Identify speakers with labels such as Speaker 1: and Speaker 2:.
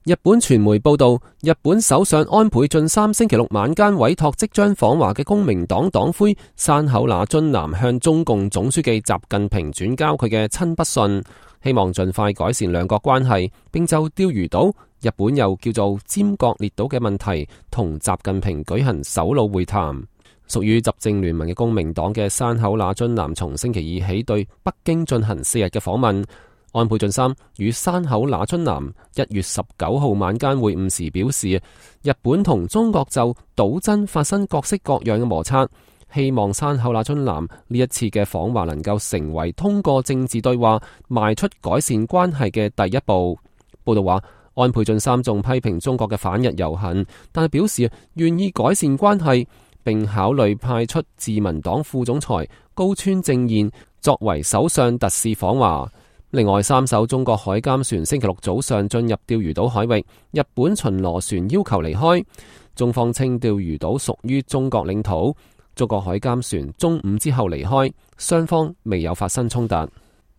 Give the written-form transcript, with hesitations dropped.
Speaker 1: 日本傳媒報道，日本首相安倍晉三星期六晚間委託即將訪華嘅公明黨黨魁山口那津男向中共總書記習近平轉交佢嘅親筆信，希望盡快改善兩國關係，並就釣魚島（日本又叫做尖閣列島）嘅問題同習近平舉行首腦會談。屬於執政聯盟嘅公明黨嘅山口那津男從星期二起對北京進行4日嘅訪問。安倍晉三與山口那津男1月19號晚間會晤時表示，日本同中國就島真發生各式各樣嘅摩擦，希望山口那津男呢一次嘅訪華能夠成為通過政治對話邁出改善關係嘅第一步。報道話，安倍晉三仲批評中國嘅反日遊行，但係表示願意改善關係，並考慮派出自民黨副總裁高村正彥作為首相特使訪華。另外，3艘中國海監船星期六早上進入釣魚島海域，日本巡邏船要求離開。中方稱釣魚島屬於中國領土，中國海監船中午之後離開，雙方未有發生衝突。